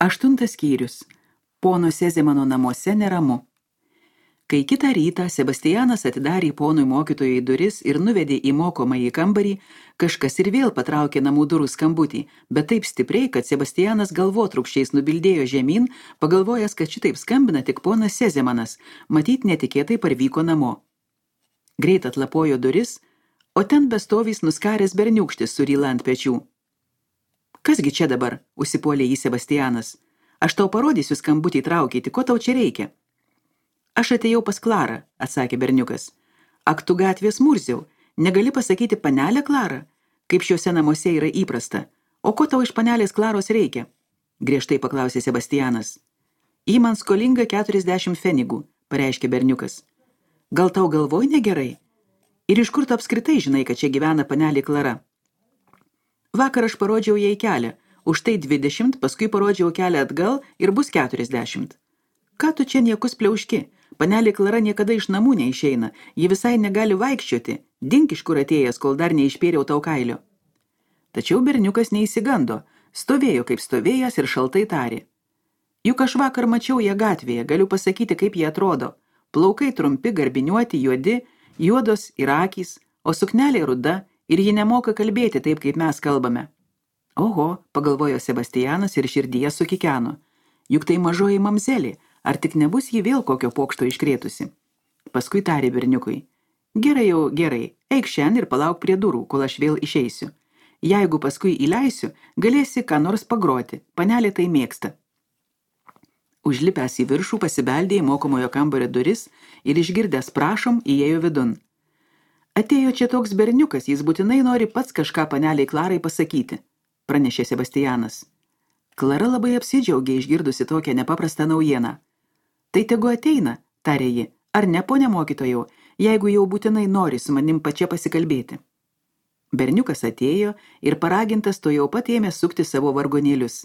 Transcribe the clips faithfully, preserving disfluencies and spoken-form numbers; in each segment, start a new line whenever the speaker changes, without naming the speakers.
Aštuntas skyrius. Pono Sezemano namuose neramu. Kai kitą rytą Sebastianas atidarė ponui mokytojai duris ir nuvedė į mokomąjį kambarį, kažkas ir vėl patraukė namų durų skambutį, bet taip stipriai, kad Sebastianas galvotrūkščiais nubildėjo žemyn, pagalvojęs, kad šitaip skambina tik ponas Sezemanas, matyt netikėtai parvyko namo. Greit atlapojo duris, o ten bestovys nuskaręs berniūkštis su ryla ant pečių. Kasgi čia dabar, užsipuolė jį Sebastianas. Aš tau parodysiu skambutį traukyti, ko tau čia reikia? Aš atėjau pas Klarą, atsakė berniukas. Ak tu gatvės murziau, negali pasakyti panelę Klarą, kaip šiuose namuose yra įprasta. O ko tau iš panelės Klaros reikia? Griežtai paklausė Sebastianas. Ji man skolinga keturiasdešimt fenigų, pareiškė berniukas. Gal tau galvoj negerai? Ir iš kur tu apskritai žinai, kad čia gyvena panelė Klara? Vakar aš parodžiau jai kelią, už tai dvidešimt, paskui parodžiau kelią atgal ir bus keturiasdešimt. Ką tu čia niekus pliauški? Panelė Klara niekada iš namų neišeina, ji visai negali vaikščioti, dink iš kur atėjęs, kol dar neišpėriau tau kailio. Tačiau berniukas neįsigando, stovėjo kaip stovėjęs ir šaltai tarė. Juk aš vakar mačiau ją gatvėje, galiu pasakyti, kaip jie atrodo. Plaukai trumpi, garbiniuoti, juodi, juodos ir akys, o suknelė ruda, ir ji nemoka kalbėti taip, kaip mes kalbame. Oho, pagalvojo Sebastianas ir širdyje sukikeno. Juk tai mažoji mamzelė, ar tik nebus ji vėl kokio pokšto iškrėtusi? Paskui tarė berniukui. Gerai jau, gerai, eik šiandien ir palauk prie durų, kol aš vėl išeisiu. Jeigu paskui įleisiu, galėsi ką nors pagroti, panelė tai mėgsta. Užlipęs į viršų pasibeldė į mokomojo kambario duris ir išgirdęs prašom įėjo vidun. Atėjo čia toks berniukas, jis būtinai nori pats kažką paneliai Klarai pasakyti, pranešė Sebastianas. Klara labai apsidžiaugė išgirdusi tokią nepaprastą naujieną. Tai tegu ateina, tarė ji, ar ne, ponia mokytojau, jeigu jau būtinai nori su manim pačia pasikalbėti. Berniukas atėjo ir paragintas to jau pat ėmė sukti savo vargonėlius.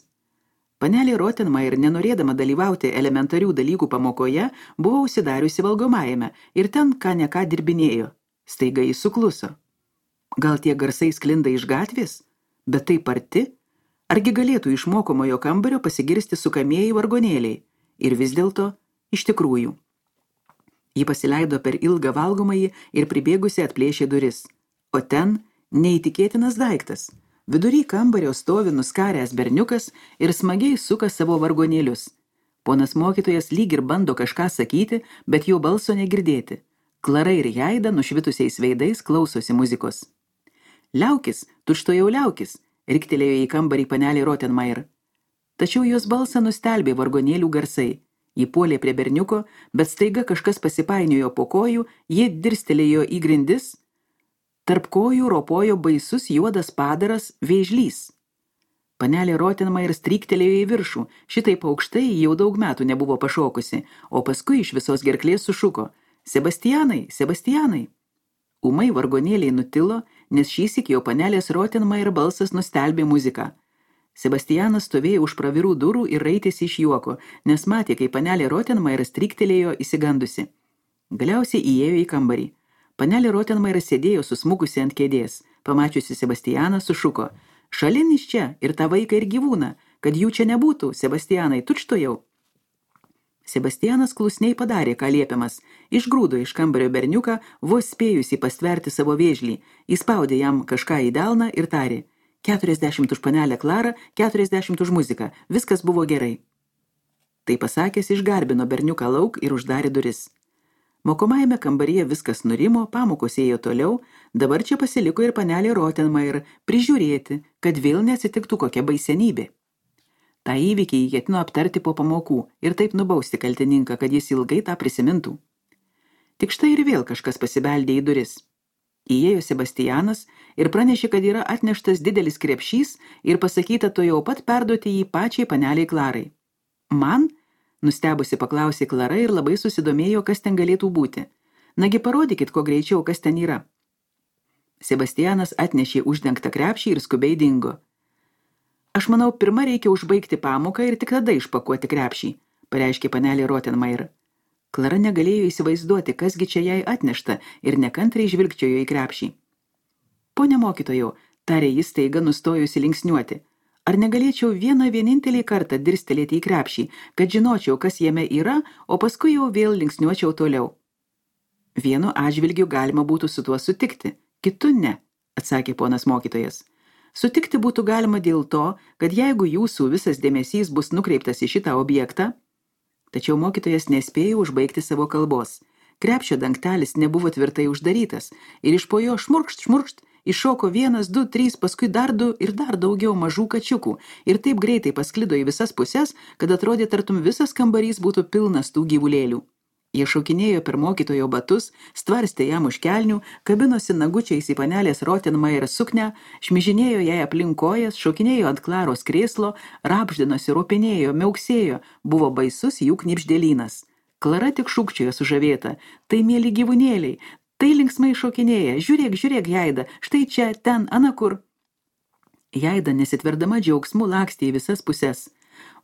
Panelė Rottenmeier, nenorėdama dalyvauti elementarių dalykų pamokoje, buvo užsidariusi valgomajame ir ten ką ne ką dirbinėjo. Staiga jis sukluso. Gal tie garsai sklinda iš gatvės? Bet taip arti? Argi galėtų iš mokomojo kambario pasigirsti sukamieji vargonėliai? Ir vis dėlto, iš tikrųjų. Ji pasileido per ilgą valgomąjį ir pribėgusi atplėšė duris. O ten neįtikėtinas daiktas. Vidury kambario stovi nuskaręs berniukas ir smagiai suka savo vargonėlius. Ponas mokytojas lyg ir bando kažką sakyti, bet jo balso negirdėti. Klara ir Jaida nušvitusiais veidais klausosi muzikos. Liaukis, tučtuojau liaukis, riktelėjo į kambarį panelė Rottenmeier. Tačiau jos balsą nustelbė vargonėlių garsai. Ji puolė prie berniuko, bet staiga kažkas pasipainiojo po kojų, ji dirstelėjo į grindis. Tarp kojų ropojo baisus juodas padaras vėžlys. Panelė Rottenmeier stryktelėjo į viršų, šitaip aukštai jau daug metų nebuvo pašokusi, o paskui iš visos gerklės sušuko. Sebastianai, Sebastianai. Ūmai vargonėliai nutilo, nes šįsyk jau panelės Rottenmeier balsas nustelbė muziką. Sebastianas stovėjo už pravirų durų ir raitėsi iš juoko, nes matė, kai panelė Rottenmeier stryktelėjo įsigandusi. Galiausiai įėjo į kambarį. Panelė Rottenmeier sėdėjo susmukusi ant kėdės. Pamačiusi Sebastianą sušuko. Šalin iš čia ir tą vaiką ir gyvūną, kad jų čia nebūtų, Sebastianai, tučtuojau. Sebastianas klusniai padarė, ką liepiamas, išgrūdo iš kambario berniuką, vos spėjusi pastverti savo vėžlį, įspaudė jam kažką į delną ir tarė, keturiasdešimt už panelę Klarą, keturiasdešimt už muziką, viskas buvo gerai. Tai pasakęs išgarbino berniuką lauk ir uždarė duris. Mokomajame kambaryje viskas nurimo, pamokos ėjo toliau, dabar čia pasiliko ir panelė Rottenmeier prižiūrėti, kad vėl neatsitiktų kokia baisenybė. Ta įvykį jį ketino aptarti po pamokų ir taip nubausti kaltininką, kad jis ilgai tą prisimintų. Tik štai ir vėl kažkas pasibeldė į duris. Įėjo Sebastianas ir pranešė, kad yra atneštas didelis krepšys ir pasakyta to jau pat perduoti jį pačiai paneliai Klarai. Man? Nustebusi paklausė Klara ir labai susidomėjo, kas ten galėtų būti. Nagi parodykit, ko greičiau, kas ten yra. Sebastianas atnešė uždengtą krepšį ir skubiai dingo. Aš manau, pirma reikia užbaigti pamoką ir tik tada išpakuoti krepšį, pareiškė panelė Rottenmeier. Klara negalėjo įsivaizduoti, kasgi čia jai atnešta ir nekantriai žvilgčiojo į krepšį. Pone mokytojau, tarė jis staiga nustojusi linksniuoti, Ar negalėčiau vieną vienintelį kartą dirstelėti į krepšį, kad žinočiau, kas jame yra, o paskui jau vėl linksniuočiau toliau? Vienu atžvilgiu galima būtų su tuo sutikti, kitu ne, atsakė ponas mokytojas. Sutikti būtų galima dėl to, kad jeigu jūsų visas dėmesys bus nukreiptas į šitą objektą, tačiau mokytojas nespėjo užbaigti savo kalbos. Krepšio dangtelis nebuvo tvirtai uždarytas ir iš po jo šmurkšt, šmurkšt, iššoko vienas, du, trys, paskui dar du ir dar daugiau mažų kačiukų ir taip greitai pasklido į visas pusės, kad atrodė tartum visas kambarys būtų pilnas tų gyvulėlių. Jie šokinėjo per mokytojo batus, stvarstė jam už kelnių, kabinosi nagučiais į panelės Rottenmeier suknę, šmižinėjo jai aplink kojas, šokinėjo ant Klaros krėslo, rapždinosi, ropinėjo, miauksėjo, buvo baisus jų knibždėlynas. Klara tik šūkčiojo sužavėta, tai mėly gyvūnėliai, tai linksmai šokinėja, žiūrėk, žiūrėk, Jaida, štai čia, ten, anakur. Jaida nesitverdama džiaugsmu lakstė į visas pusės.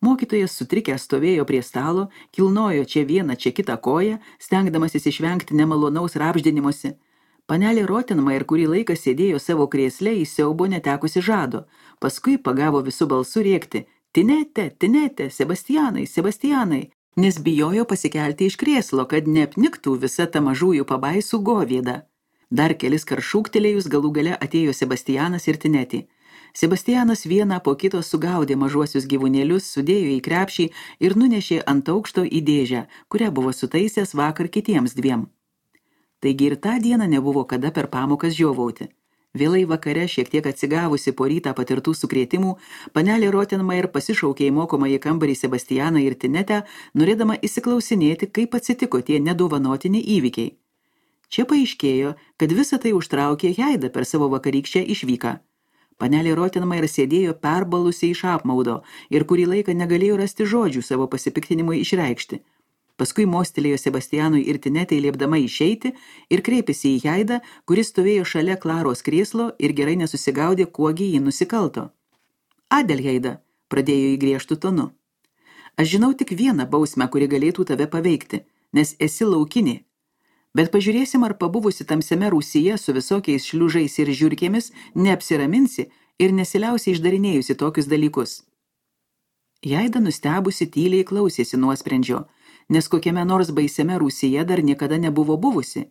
Mokytojas sutrikęs stovėjo prie stalo, kilnojo čia vieną, čia kitą koją, stengdamasis išvengti nemalonaus rapždinimuose. Panelė Rottenmeier kurį laiką sėdėjo savo krėsle į siaubo netekusi žado, paskui pagavo visų balsų rėkti: Tinete, Tinete, Sebastianai, Sebastianai, nes bijojo pasikelti iš krėslo, kad neapniktų visa ta mažųjų pabaisų govėda. Dar kelis kart šūktelėjus galų gale atėjo Sebastianas ir Tinetė. Sebastianas vieną po kito sugaudė mažuosius gyvūnėlius, sudėjo į krepšį ir nunešė ant aukšto į dėžę, kurią buvo sutaisęs vakar kitiems dviem. Taigi ir tą dieną nebuvo kada per pamokas žiovauti. Vėlai vakare, šiek tiek atsigavusi po rytą patirtų sukrėtimų, panelė Rottenmeier pasišaukė į mokomąjį kambarį Sebastianą ir Tinetę, norėdama įsiklausinėti, kaip atsitiko tie nedovanotini įvykiai. Čia paaiškėjo, kad visą tai užtraukė Jaida per savo vakarykščią išvyką. Panelė Rottenmeier sėdėjo perbalusiai iš apmaudo ir kurį laiką negalėjo rasti žodžių savo pasipiktinimui išreikšti. Paskui mostelėjo Sebastianui ir Tinetei liepdama išeiti ir kreipėsi į Jaidą, kuris stovėjo šalia Klaros krėslo ir gerai nesusigaudė, kuogi jį nusikalto. Adel, Jaida, pradėjo į griežtų tonu. Aš žinau tik vieną bausmę, kuri galėtų tave paveikti, nes esi laukinė. Bet pažiūrėsim, ar pabuvusi tamsiame rūsyje su visokiais šliužais ir žiurkėmis neapsiraminsi ir nesiliausiai išdarinėjusi tokius dalykus. Jaida nustebusi tyliai klausėsi nuosprendžio, nes kokiame nors baisiame rūsyje dar niekada nebuvo buvusi,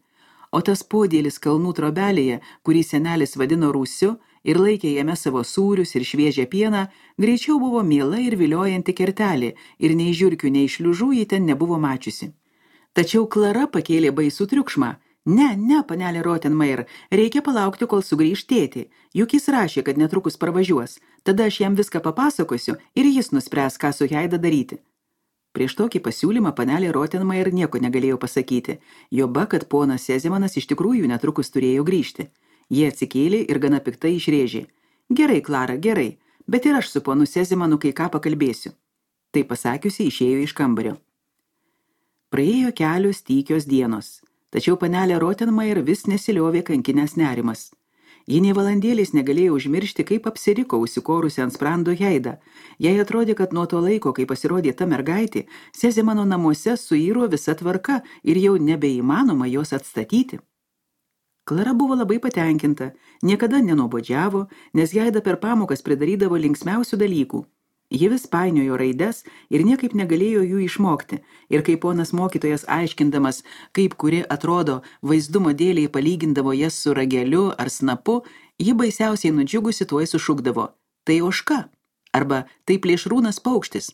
o tas podėlis kalnų trobelėje, kurį senelis vadino rūsiu ir laikė jame savo sūrius ir šviežią pieną, greičiau buvo miela ir viliojanti kertelė ir nei žiurkių, nei šliužų ji ten nebuvo mačiusi. Tačiau Klara pakėlė baisų triukšmą. Ne, ne, panelė Rottenmeier, reikia palaukti, kol sugrįš tėtį. Juk jis rašė, kad netrukus parvažiuos. Tada aš jam viską papasakosiu ir jis nuspręs, ką su Jaida daryti. Prieš tokį pasiūlymą panelė Rottenmeier nieko negalėjo pasakyti. Joba, kad ponas Sezemanas iš tikrųjų netrukus turėjo grįžti. Jie atsikėlė ir gana piktai išrėžė. Gerai, Klara, gerai, bet ir aš su ponu Sezemanu kai ką pakalbėsiu. Tai pasakiusi išėjo iš kambario. Praėjo kelios tykios dienos, tačiau panelė Rottenmeier vis nesiliovė kankinės nerimas. Ji nė valandėliais negalėjo užmiršti, kaip apsiriko užsikorusi ant sprando Jaidą. Jai atrodė, kad nuo to laiko, kai pasirodė ta mergaitė, Sezemano namuose suiro visa tvarka ir jau nebeįmanoma jos atstatyti. Klara buvo labai patenkinta, niekada nenuobodžiavo, nes Jaida per pamokas pridarydavo linksmiausių dalykų. Ji vis painiojo raides ir niekaip negalėjo jų išmokti, ir kai ponas mokytojas aiškindamas, kaip kuri atrodo vaizdumo dėliai palygindavo jas su rageliu ar snapu, ji baisiausiai nudžiugusi tuoj sušukdavo: tai ožka, arba tai plėšrūnas paukštis.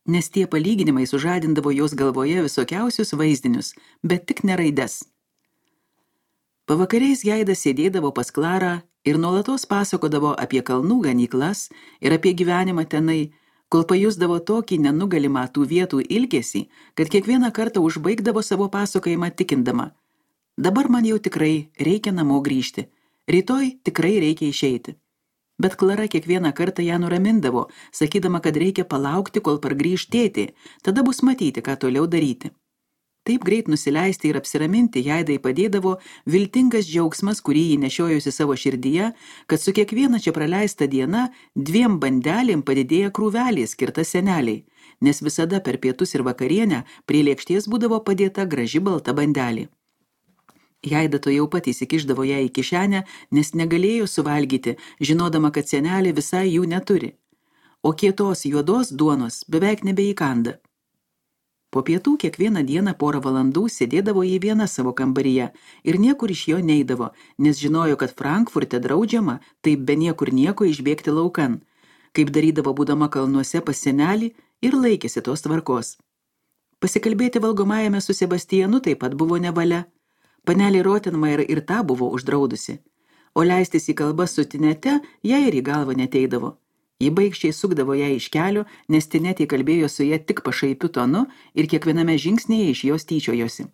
Nes tie palyginimai sužadindavo jos galvoje visokiausius vaizdinius, bet tik ne raides. Pavakariais Jaida sėdėdavo pas Klarą ir nuolatos pasakodavo apie kalnų ganyklas ir apie gyvenimą tenai, kol pajusdavo tokį nenugalimą tų vietų ilgesį, kad kiekvieną kartą užbaigdavo savo pasakojimą tikindama: dabar man jau tikrai reikia namo grįžti, rytoj tikrai reikia išeiti. Bet Klara kiekvieną kartą ją nuramindavo, sakydama, kad reikia palaukti, kol pargrįš tėtė, tada bus matyti, ką toliau daryti. Taip greit nusileisti ir apsiraminti Jaidai padėdavo viltingas džiaugsmas, kurį ji nešiojusi savo širdyje, kad su kiekviena čia praleista diena dviem bandelėm padidėja krūvelė skirta seneliai, nes visada per pietus ir vakarienę prie lėkštės būdavo padėta graži balta bandelė. Jaida to jau pat įsikišdavo ją į kišenę, nes negalėjo suvalgyti, žinodama, kad senelė visai jų neturi. O kietos juodos duonos beveik nebeįkanda. Po pietų kiekvieną dieną porą valandų sėdėdavo į vieną savo kambaryje ir niekur iš jo neidavo, nes žinojo, kad Frankfurte draudžiama taip be niekur nieko išbėgti laukan, kaip darydavo būdama kalnuose pas senelį ir laikėsi tos tvarkos. Pasikalbėti valgomajame su Sebastijanu taip pat buvo nevalia. Panelė Rottenmeier ir tą buvo uždraudusi, o leistis į kalbas su Tinete jai ir į galvą neteidavo. Ji baigščiai sukdavo ją iš kelio, nes Tinetė kalbėjo su ja tik pašaipiu tonu ir kiekviename žingsnėje iš jos tyčiojosi.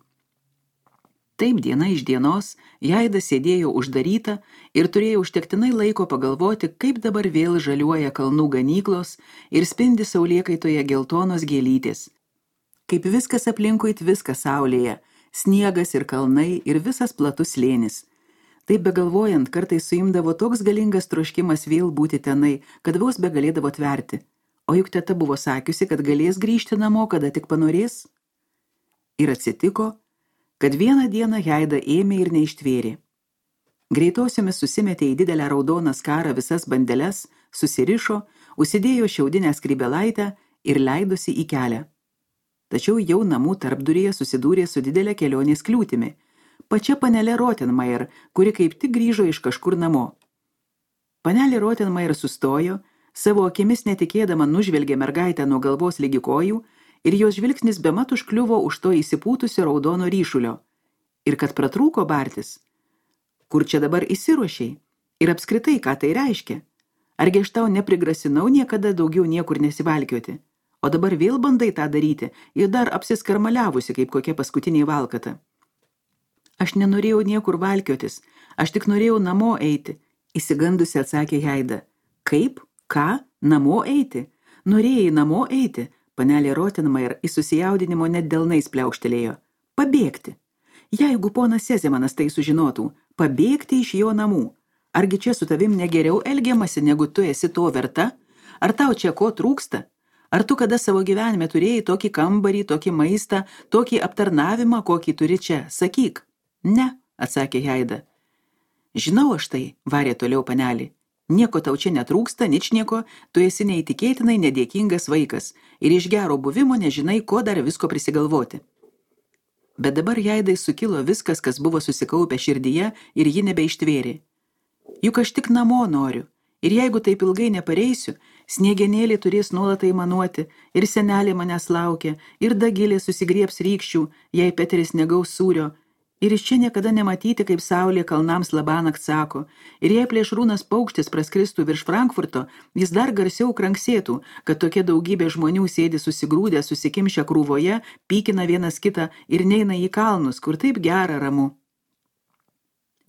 Taip diena iš dienos Jaida sėdėjo uždaryta ir turėjo užtektinai laiko pagalvoti, kaip dabar vėl žaliuoja kalnų ganyklos ir spindi saulėkaitoje geltonos gėlytės. Kaip viskas aplinkui tviska saulėje, sniegas ir kalnai ir visas platus slėnis. Taip begalvojant, kartais suimdavo toks galingas troškimas vėl būti tenai, kad vos begalėdavo tverti. O juk teta buvo sakiusi, kad galės grįžti namo, kada tik panorės. Ir atsitiko, kad vieną dieną Jaida ėmė ir neištvėrė. Greitosiomis susimetė į didelę raudoną skarą visas bandeles, susirišo, užsidėjo šiaudinę skrybelaitę ir leidosi į kelią. Tačiau jau namų tarpduryje susidūrė su didelė kelionės kliūtimi. Pačia panelė Rottenmeier, kuri kaip tik grįžo iš kažkur namo. Panelė Rottenmeier sustojo, savo akimis netikėdama nužvelgė mergaitę nuo galvos ligi kojų ir jos žvilgsnis bemat užkliuvo už to įsipūtusio raudono ryšulio. Ir kad pratrūko bartis. Kur čia dabar įsiruošiai? Ir apskritai, ką tai reiškia? Argi aš tau neprigrasinau niekada daugiau niekur nesivalkioti? O dabar vėl bandai tą daryti ir dar apsiskarmaliavusi kaip kokia paskutinė valkata. Aš nenorėjau niekur valkiotis, aš tik norėjau namo eiti, įsigandusi atsakė Jaida. Kaip? Ką? Namo eiti? Norėjai namo eiti? Panelė Rottenmeier į susijaudinimo net delnais pliaukštelėjo. Pabėgti. Jeigu ponas Sezemanas tai sužinotų, pabėgti iš jo namų. Argi čia su tavim negeriau elgiamasi, negu tu esi to verta? Ar tau čia ko trūksta? Ar tu kada savo gyvenime turėjai tokį kambarį, tokį maistą, tokį aptarnavimą, kokį turi čia? Sakyk. Ne, atsakė Jaida. Žinau aš tai, varė toliau panelį. Nieko tau čia netrūksta, ničnieko, tu esi neįtikėtinai nedėkingas vaikas ir iš gero buvimo nežinai, ko dar visko prisigalvoti. Bet dabar Jaidai sukilo viskas, kas buvo susikaupę širdyje ir ji nebeištvėrė. Juk aš tik namo noriu. Ir jeigu taip ilgai nepareisiu, sniegenėlė turės nuolat aimanuoti, ir senelė manęs laukia, ir Dagilė susigriebs rykščių, jei Peteris negaus sūrio, ir iš čia niekada nematyti, kaip saulė kalnams labanakt sako, ir jei plėšrūnas paukštis praskristų virš Frankfurto, jis dar garsiau kranksėtų, kad tokia daugybė žmonių sėdi susigrūdę, susikimšę krūvoje, pykina vienas kitą ir neina į kalnus, kur taip gera ramu.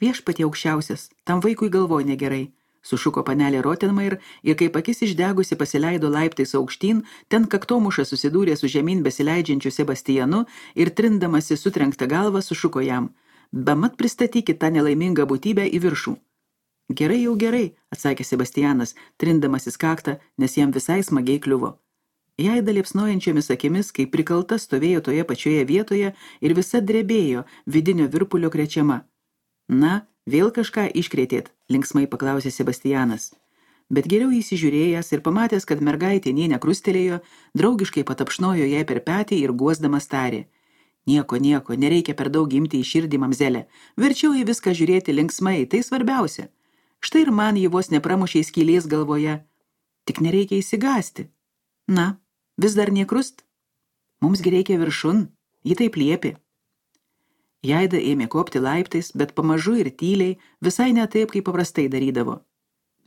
Viešpatie aukščiausias, tam vaikui galvoj negerai, sušuko panelė Rottenmeier ir kaip akis išdegusi pasileido laiptais aukštyn, ten kaktomuša susidūrė su žemyn besileidžiančiu Sebastijanu ir trindamasi sutrenktą galvą sušuko jam. Bemat pristatykit tą nelaimingą būtybę į viršų. Gerai jau gerai, atsakė Sebastianas, trindamasis kaktą, nes jam visai smagiai kliuvo. Jaida liepsnojančiomis akimis, kaip prikalta, stovėjo toje pačioje vietoje ir visa drebėjo, vidinio virpulio krečiama. Na, vėl kažką iškrėtėt, linksmai paklausė Sebastianas. Bet geriau įsižiūrėjęs ir pamatęs, kad mergaitė nė nekrustelėjo, draugiškai patapšnojo jai per petį ir guosdamas tarė. Nieko, nieko, nereikia per daug imti į širdį, mamzelė. Verčiau į viską žiūrėti linksmai, tai svarbiausia. Štai ir man jį vos nepramušė skylės galvoje. Tik nereikia įsigąsti. Na, vis dar nekrust? Mumsgi reikia viršun, ji taip liepė. Jaida ėmė kopti laiptais, bet pamažu ir tyliai, visai ne taip, kaip paprastai darydavo.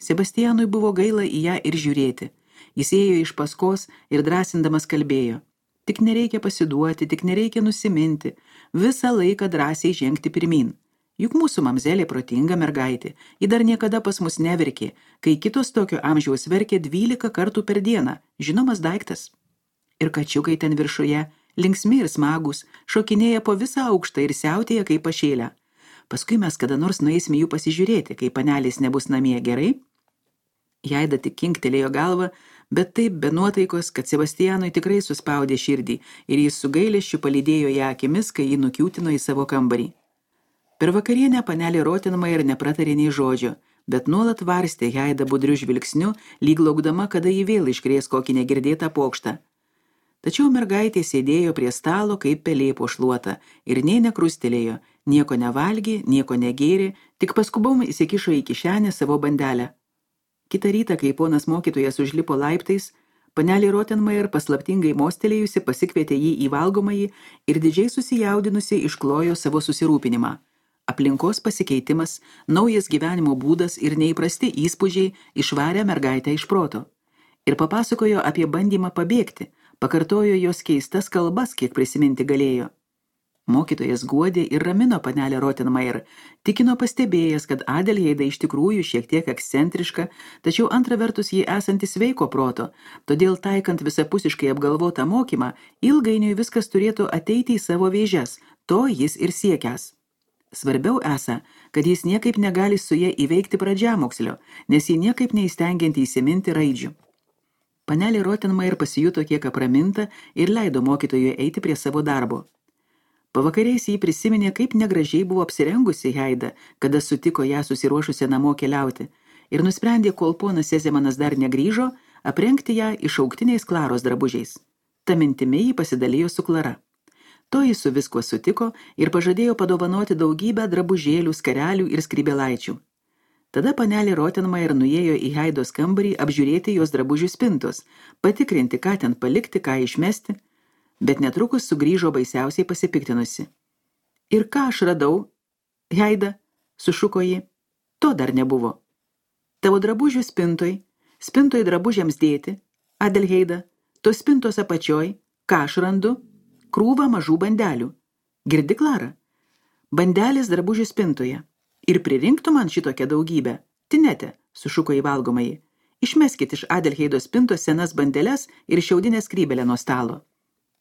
Sebastianui buvo gaila į ją ir žiūrėti. Jis ėjo iš paskos ir drąsindamas kalbėjo. Tik nereikia pasiduoti, tik nereikia nusiminti, visą laiką drąsiai žengti pirmin. Juk mūsų mamzelė protinga mergaitė, ji dar niekada pas mus neverkė, kai kitos tokio amžiaus verkė dvylika kartų per dieną, žinomas daiktas. Ir kačiukai ten viršuje, linksmi ir smagus, šokinėja po visą aukštą ir siautėja kaip pašėlę. Paskui mes kada nors nueisime jų pasižiūrėti, kai panelės nebus namie, gerai? Jaida tik kinktelėjo galvą, bet taip be nuotaikos, kad Sebastianui tikrai suspaudė širdį ir jis su gailesčiu palydėjo ją akimis, kai jį nukiūtino į savo kambarį. Per vakarienę panelė Rottenmeier nepratarė nei žodžio, bet nuolat varstė Heidą budriu žvilgsniu, lyg laukdama, kada jį vėl iškrės kokį negirdėtą pokštą. Tačiau mergaitė sėdėjo prie stalo kaip pelė po šluota ir nė nekrustelėjo, nieko nevalgė, nieko negėrė, tik paskubom įsikišo į kišenę savo bandelę. Kitą rytą, kai ponas mokytojas užlipo laiptais, panelė Rottenmeier paslaptingai mostelėjusi pasikvietė jį į valgomąjį ir didžiai susijaudinusi išklojo savo susirūpinimą. Aplinkos pasikeitimas, naujas gyvenimo būdas ir neįprasti įspūdžiai išvarė mergaitę iš proto. Ir papasakojo apie bandymą pabėgti, pakartojo jos keistas kalbas, kiek prisiminti galėjo. Mokytojas guodė ir ramino panelę Rottenmeier, tikino pastebėjęs, kad Adelheida iš tikrųjų šiek tiek ekscentriška, tačiau antra vertus jį esanti sveiko proto, todėl taikant visapusiškai apgalvotą mokymą, ilgainiui viskas turėtų ateiti į savo vėžes, to jis ir siekęs. Svarbiau esą, kad jis niekaip negali su ja įveikti pradžiamokslio, nes jį niekaip neįstengianti įsiminti raidžių. Panelė Rottenmeier pasijuto kiek apraminta ir leido mokytojui eiti prie savo darbo. Pavakariais jį prisiminė, kaip negražiai buvo apsirengusi Heida, kada sutiko ją susiruošusią namo keliauti, ir nusprendė, kol ponas Sezemanas dar negrįžo, aprengti ją išauktiniais Klaros drabužiais. Ta mintimi jį pasidalijo su Klara. Toji su viskuo sutiko ir pažadėjo padovanoti daugybę drabužėlių, skarelių ir skrybėlaičių. Tada panelė Rottenmeier nuėjo į Heidos kambarį apžiūrėti jos drabužių spintos, patikrinti, ką ten palikti, ką išmesti, bet netrukus sugrįžo baisiausiai pasipiktinusi. Ir ką aš radau? Heida, sušuko ji, to dar nebuvo. Tavo drabužių spintoj, spintoj drabužiams dėti, Adelheida, tos spintos apačioj, ką aš randu? Krūvą mažų bandelių. Girdi, Klara? Bandelės drabužių spintoje. Ir pririnktų man šitokią daugybę. Tinete, sušuko į valgomąjį. Išmeskit iš Adelheidos spintos senas bandeles ir šiaudinę skrybelę nuo stalo.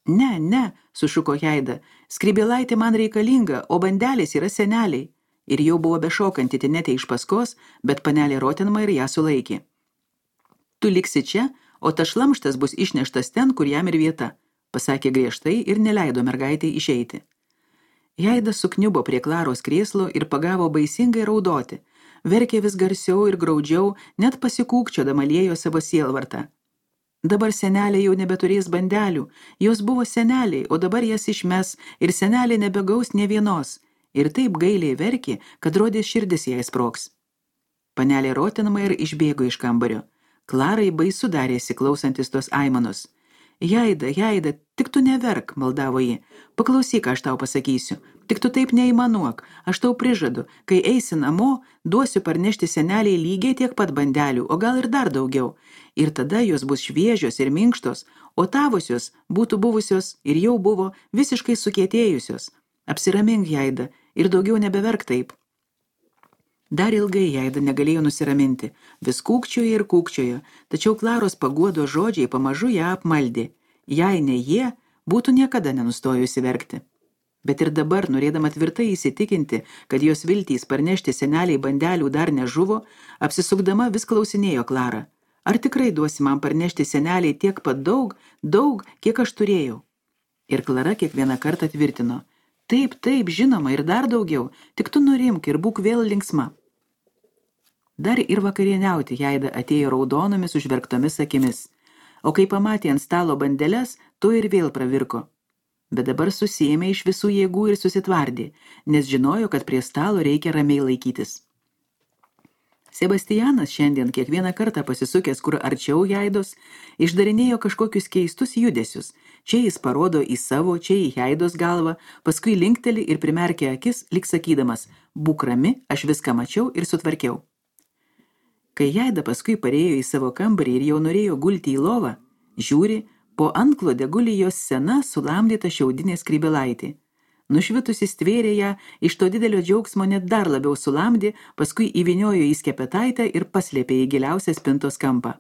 Ne, ne, sušuko Heida. Skrybėlaitė man reikalinga, o bandelės yra seneliai. Ir jau buvo bešokanti Tinete iš paskos, bet panelė Rottenmeier ją sulaikė. Tu liksi čia, o tas šlamštas bus išneštas ten, kur jam ir vieta, pasakė griežtai ir neleido mergaitai išeiti. Heida sukniubo prie Klaros krėslo ir pagavo baisingai raudoti, verkė vis garsiau ir graudžiau, net pasikūkčiodama liejo savo sielvartą. Dabar senelė jau nebeturės bandelių, jos buvo seneliai, o dabar jas išmes ir senelė nebegaus nė vienos, ir taip gailiai verkė, kad rodė širdis jai sprogs. Panelė Rottenmeier išbėgo iš kambario. Klarai baisu darėsi klausantis tos aimanos. Heida, Heida, tik tu neverk, maldavo ji. Paklausyk, aš tau pasakysiu. Tik tu taip neįmanuok. Aš tau prižadu, kai eisi namo, duosiu parnešti seneliai lygiai tiek pat bandelių, o gal ir dar daugiau. Ir tada jos bus šviežios ir minkštos, o tavosios būtų buvusios ir jau buvo visiškai sukietėjusios. Apsiramink, Heida, ir daugiau nebeverk taip. Dar ilgai Heida negalėjo nusiraminti, vis kūkčiojo ir kūkčiojo, tačiau Klaros paguodo žodžiai pamažu ją apmaldė. Jei ne jie, būtų niekada nenustojusi verkti. Bet ir dabar, norėdama tvirtai įsitikinti, kad jos viltys parnešti seneliai bandelių dar nežuvo, apsisukdama vis klausinėjo Klarą. Ar tikrai duosi man parnešti seneliai tiek pat daug, daug, kiek aš turėjau? Ir Klara kiekvieną kartą tvirtino. Taip, taip, žinoma, ir dar daugiau, tik tu nurimk ir būk vėl linksma. Dar ir vakarieniauti Heida atėjo raudonomis užverktomis akimis, o kai pamatė ant stalo bandeles, tu ir vėl pravirko. Bet dabar susiėmė iš visų jėgų ir susitvardė, nes žinojo, kad prie stalo reikia ramiai laikytis. Sebastianas šiandien kiekvieną kartą pasisukęs kur arčiau Heidos, išdarinėjo kažkokius keistus judesius. Čia jis parodo į savo, čia į Heidos galvą, paskui linkteli ir primerkė akis, lyg sakydamas, būk rami, aš viską mačiau ir sutvarkiau. Kai Heida paskui parėjo į savo kambarį ir jau norėjo gulti į lovą, žiūri, po antklode guli jos sena sulamdyta šiaudinė skrybėlaitė. Nušvitusi stvėrė ją, iš to didelio džiaugsmo net dar labiau sulamdė, paskui įvyniojo į skepetaitę ir paslėpė į giliausią spintos kampą.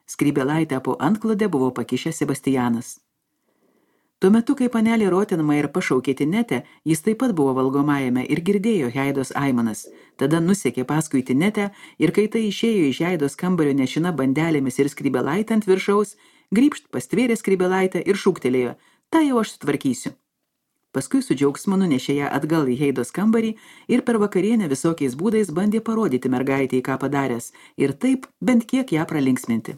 Skrybėlaitę po antklodę buvo pakišęs Sebastianas. Tuo metu, kai panelė Rottenmeier pašaukė Tinetę, jis taip pat buvo valgomajame ir girdėjo Heidos aimanas. Tada nusekė paskui Tinetę ir kai tai išėjo iš Heidos kambario nešina bandelėmis ir skrybėlaitę ant viršaus, grybšt pastvėrė skrybėlaitę ir šūktelėjo, tą jau aš sutvarkysiu. Paskui su džiaugsmu nunešė ją atgal į Heidos kambarį ir per vakarienę visokiais būdais bandė parodyti mergaitei, ką padaręs, ir taip bent kiek ją pralinksminti.